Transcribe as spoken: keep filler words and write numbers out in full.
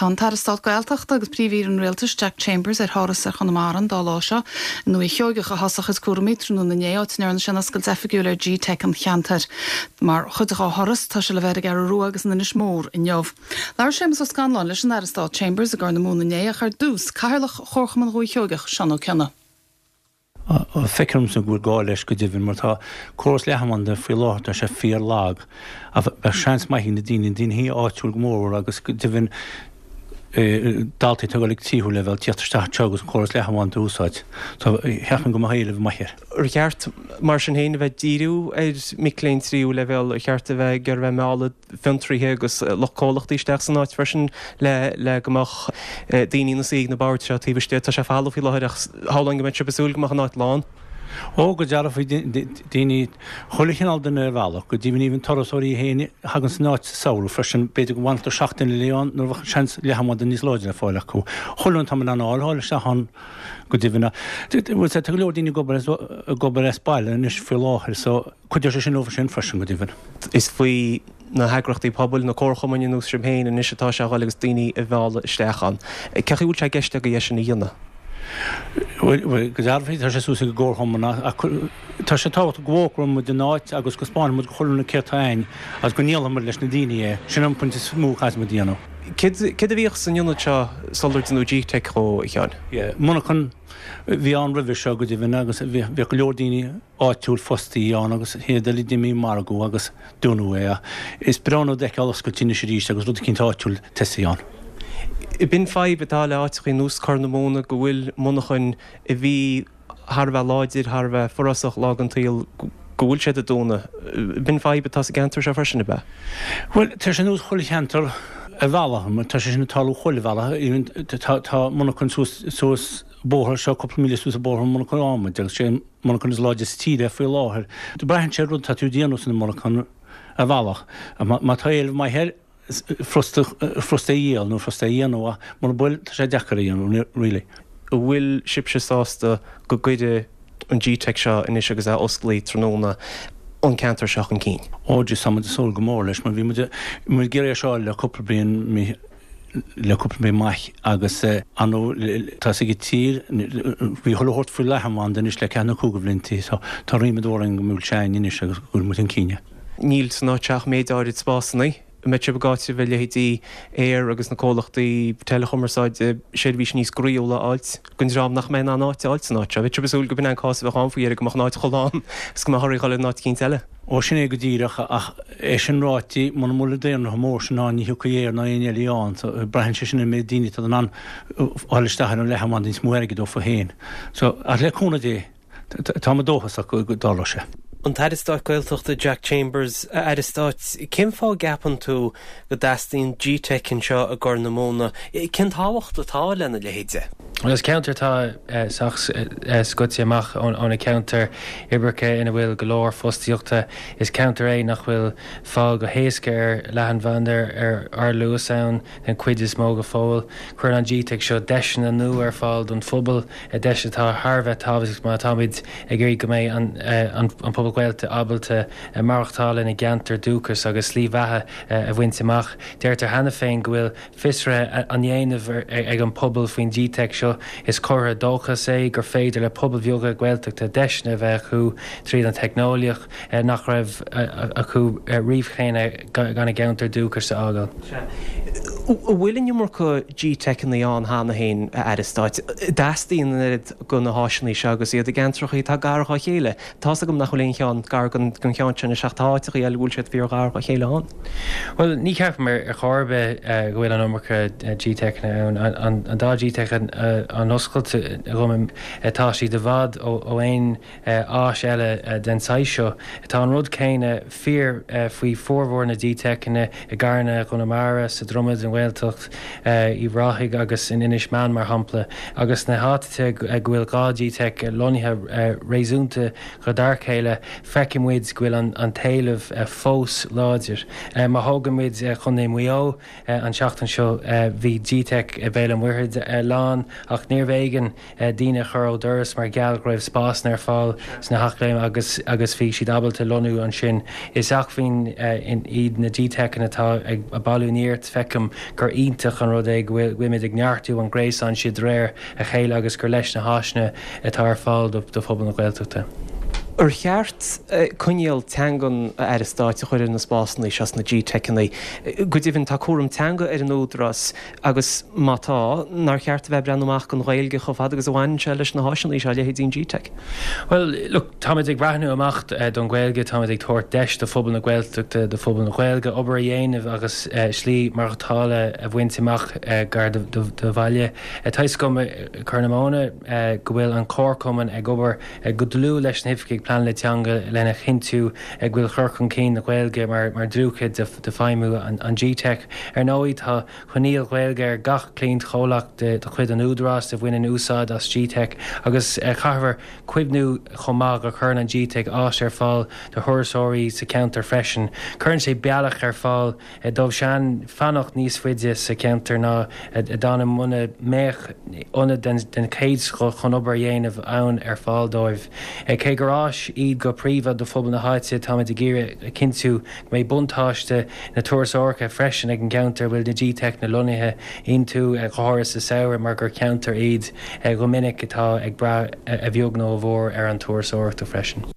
Tá an tAire Stáit Gaeltachta agus Príomh-Aoire an Rialtais Jack Chambers ar thuras ar Chonamara an dá lá seo. I nDúiche Sheoigeach a thosaigh a chuid cúraimí tráthnóna inné áit a ndearna sé oscailt oifigiúil ar G-Teic an cheantair. Mar chuid dá thuras tá sé le bheith ar an gCeathrú Rua agus in Inis Mór inniu. Labhair Séamus Ó Scanláin leis an Aire Stáit Chambers i gCorr na Móna inné ach ar dtús Cathaoirleach Chomharchumann Dhúiche Sheoigeach Seán Ó Cionnaith. Feicimse go bhfuil gá leis go deimhin mar tá córas leathanbhanda faoi láthair tá sé fíorlag a bheadh seans maith na daoine daoine áitiúil go mór agus go deimhin daltaí atá ag tríú leibhéal teacht isteach agus an córas leathanbhanda a úsáid. Tá cheapfainn go mbeadh éileamh maith air. Ar cheart mar sin féin a bheith díriú ar mic léinn tríú leibhéal ar cheart a bheith gur bheith mealladh fiontraithe agus lucht comhlachtaí isteach san áit freisin le le go mbeadh daoine ina suí ag na boird seo taobh istigh tá sé folamh faoi láthair ach shamhlóinn go mbeadh sibh ag súil go mbeadh an áit lán. Ó go dearfa daoine chuile chineál duine ar bhealach go deimhin even turasóirí féin a thagann san áit sa samhradh freisin b'fhéidir go bhfanfadh seachtain le ann nuair bheadh seans leathanbhanda níos láidre le fáil acu. Chuile tá an áil isteach ann go deimhin tá go leor daoine ag obair as baile anois faoi láthair so cuideoidh sé sin leo sin freisin go deimhin. Is faoi na heagraíochtaí pobail na comharchumainn ar nós sibh féin anois atá sé dul agus daoine a mhealladh isteach ann. Cé bhfuil sé i gceist agaibh é sin a dhéanamh? Go dearfa tá sé suas ag an gcomharchumann tá sé tábhachtach go bhfógróidh muid an áit agus go spáinfidh muid go chuile na céadta ain agus go ndíolfaidh muid leis na daoine é sin an pointe is mó a chaithfidh muid a dhéanamh. Céard a bhíodh san ionad seo sular deineadh G-Teic dhó a Sheáin? Monarchan bhí ann roimhe seo go deimhin agus bhí go leor daoine áitiúil fostaí ann agus iad uilig imithe margadh agus dúnadh é. Is breá an rud é feiceáil oscailte anois arís agus rud eicínt áitiúil tosaithe ann. B'in fadhb atá le áiteachaí ar nós Corr na Móna go bhfuil monarchain a bhí thar a bheith láidir thar a bheith forásach lá den tsaol go bhfuil siad ag dúnadh. B'in fadhb atá sa gceantar seo freisin ab ea? Bhuel tá sé nós chuile cheantar ar bhealach tá sé sin ag tarlú chuile bhealach tá monarchan suas suas bóthar seo cúpla míle suas an bóthar monarchan adhmaid agus sé monarchan is láidre sa tír é faoi láthair. Braitheann sé rud tá tú ag déanamh san monarchan ar bhealach. Má tá éileamh maith air furasta furasta a dhíol nó furasta a dhéanamh mura bhfuil tá sé deacair a dhéanamh really. An bhfuil sibhse sásta go gcuirfidh an G-Teic seo anois agus é osclaí tráthnóna an ceantar seo chun cinn. Ó tá muid ag súil go mór leis mar bhí muid muid ag iarraidh é seo le cúpla bliain le cúpla bliain maith agus an tá ag tír bhí chuile shórt faoi leathanbhanda anois le ceathair nó cúig blianta so tá ríméad orainn go bhfuil sé anois agus go bhfuil muid chun cinn. Níl san áit ach méid áirid spásanna mbeidh sibh ag áiteamh a leithéidí Eir agus na comhlachtaí teileachumarsáide seirbhís níos groíúla a fháilt don dream nach mbeidh in ann áit a fháilt san áit seo. Bheadh sibh ag súil go b'in an cás a bheadh ann faoi dheireadh go mbeadh an áit chomh lán agus go mbeadh oraibh dhul in áit eicínt eile. Ó sin é go díreach ach é sin ráite muna bhfuil an daonra mór sin ann ní thiocfaidh Eir ná aon eile ann so braitheann sé sin an méid daoine atá in ann fáil isteach ar an leathanbhanda níos mó airgid dófa féin. So ach le cúnamh Dé tá mé dóchasach go dtarlóidh sé. An tAire Stáit Gaeltachta Jack Chambers a Aire Stáit, cén fáth a gceapann tú go dteastaíonn G-Teic anseo i gCorr na Móna, cén tábhacht atá lena leithéide? Well is ceantar atá sách scoite amach ó na ceantair uirbeacha ina bhfuil go leor fostaíochta. Is ceantar é nach bhfuil fáil go héasca ar leathanbhanda ar ardluas ann den chuid is mó go fóill. Cuireann an G-Teic seo deiseanna nua ar fáil don phobal, deis atá thar bheith tábhachtach má táimid ag iarraidh go mbeidh an, an, an pobal Gaeltachta ábalta maireachtáil ina gceantar dúchais agus slí bheatha a bhaint amach. Deirtear cheana féin go bhfuil fiosruithe á ndéanamh ag an pobal faoin G-Teic seo is comhartha dóchais é gur féidir le pobail bheaga Gaeltachta deiseanna a bheith acu tríd an teicneolaíocht nach raibh acu riamh cheana gan a gceantar dúchais a fhágáil. An bhfuil an iomarca G-Teiceanna ann cheana féin a Aire Stáit, dteastaíonn an oiread de na háiseanna seo agus iad i gceantracha atá gar dá chéile. Tá's agam nach bhfuil aon cheann gar don cheann sin ach tá áiteacha eile bhfuil siad fíorghar dá chéile ann. Well ní cheapaim ar chor ar bith go bhfuil an iomarca G-Teiceanna ann an dá G-Teic atá oscailte agam tá siad i bhfad ó aon áis eile den saghas seo. Tá an rud céanna fíor faoi formhór na G-Teiceanna i gCarna Chonamara sa Dromad an Ghaeltacht i Ráthaigh agus in Inis Meáin mar shampla, agus na háiteacha go bhfuil dhá G-Teic lonnaithe réasúnta gar dá chéile feicfidh muid go bhfuil an, an t-éileamh fós láidir. Má thógann muid Contae Mhaigh Eo an seachtain seo bhí G-Teic i Béal an Mhuirthead lán ach níorbh éigean daoine a chur ó doras mar gheall go raibh spásanna ar fáil sna haclaim agus agus bhí siad ábalta lonnú ansin. Is acmhainn iad na G-Teiceanna atá ag bailiú nirt feicim gur iontach an rud é go bhfuilimid ag neartú an gréasán sin de réir a chéile agus gur leis na háiseanna atá ar fáil do phobal na Gaeltachta. Ar cheart coinníoll teangan, a Aire Stáit, a chur ar na spásanna seo sna G-Teiceanna? Go deimhin, tá cúram teanga ar an Údarás agus má tá, nár cheart a bheith ag breathnú amach don Ghaeilge chomh fada agus a bhaineann sé leis na háiseanna seo, leithéidí an G-Teic? Bhuel, look, táimid ag breathnú amach don Ghaeilge, táimid ag tabhairt deis do phobal na Gaeltachta, do phobal na Gaeilge obair a dhéanamh agus slí maireachtála a bhaint amach gar do bhaile. Tá a fhios agam i Corr na Móna go bhfuil an Comharchumann ag obair go dlúth leis na hoifigigh pleanála teanga lena chinntiú go bhfuil cur chun cinn na Gaeilge mar dlúthchuid de feidhmiú an G-Teic. Ar ndóigh, tá coinníoll Gaeilge ar gach cliantchomhlacht de chuid an Údaráis a bhaineann úsáid as G-Teic agus caithfear cuimhniú chomh maith go gcuireann an G-Teic áis ar fáil do thurasóirí sa cheantar freisin. Cuireann sé bealach ar fáil dóibhsean fanacht níos faide sa cheantar ná a d'fhanadh muna mbeadh ionad den chéad scoth chun obair a dhéanamh ann ar fáil dóibh. Cé gur áis iad go príomha do phobal na háite, táimid ag iarraidh a chinntiú go mbeidh buntáiste na turasóireachta freisin ag an gceantar a bhfuil na G-Teiceanna lonnaithe iontu, go háirithe sa samhradh mar gur ceantar iad go minic atá ag brath a bheag nó a mhór ar an turasóireacht freisin.